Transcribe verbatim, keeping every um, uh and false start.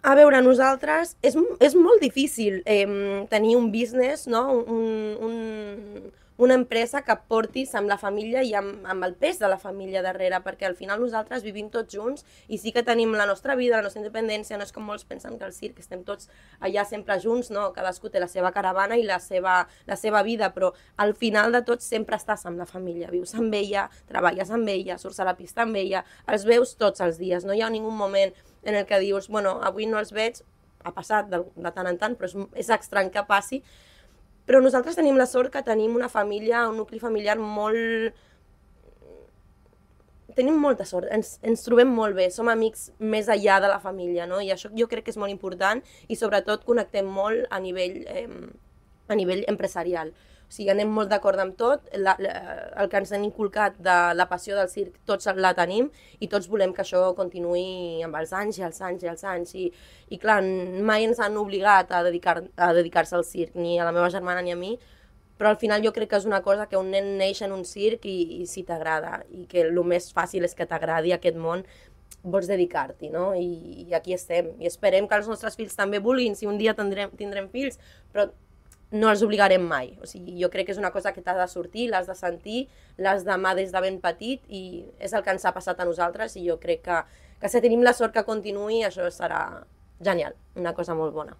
A veure, nosaltres, és, és molt difícil eh, tenir un business, no? un, un, una empresa que portis amb la família i amb, amb el pes de la família darrere, perquè al final nosaltres vivim tots junts i sí que tenim la nostra vida, la nostra independència, no és com molts pensen que al circ estem tots allà sempre junts, no? Cadascú té la seva caravana i la seva, la seva vida, però al final de tot sempre estàs amb la família, vius amb ella, treballes amb ella, surts a la pista amb ella, els veus tots els dies, no hi ha ningú moment en el que dius, bueno, avui no els veig, ha passat de, de tant en tant, però és, és estrany que passi, però nosaltres tenim la sort que tenim una família, un nucli familiar molt... Tenim molta sort, ens, ens trobem molt bé, som amics més enllà de la família, no? I això jo crec que és molt important i sobretot connectem molt a nivell, eh, a nivell empresarial. O sigui, anem molt d'acord amb tot, la, la, el que ens han inculcat de la passió del circ tots la tenim i tots volem que això continuï amb els anys i els anys i els anys. I, i clar, mai ens han obligat a dedicar, a dedicar-se al circ, ni a la meva germana ni a mi, però al final jo crec que és una cosa que un nen neix en un circ i, i si t'agrada, i que el més fàcil és que t'agradi aquest món, vols dedicar-t'hi, no? I, I aquí estem, i esperem que els nostres fills també vulguin, si un dia tindrem, tindrem fills, però no els obligarem mai. O sigui, jo crec que és una cosa que t'ha de sortir, l'has de sentir, l'has d'amar des de ben petit i és el que ens ha passat a nosaltres i jo crec que, que si tenim la sort que continuï això serà genial, una cosa molt bona.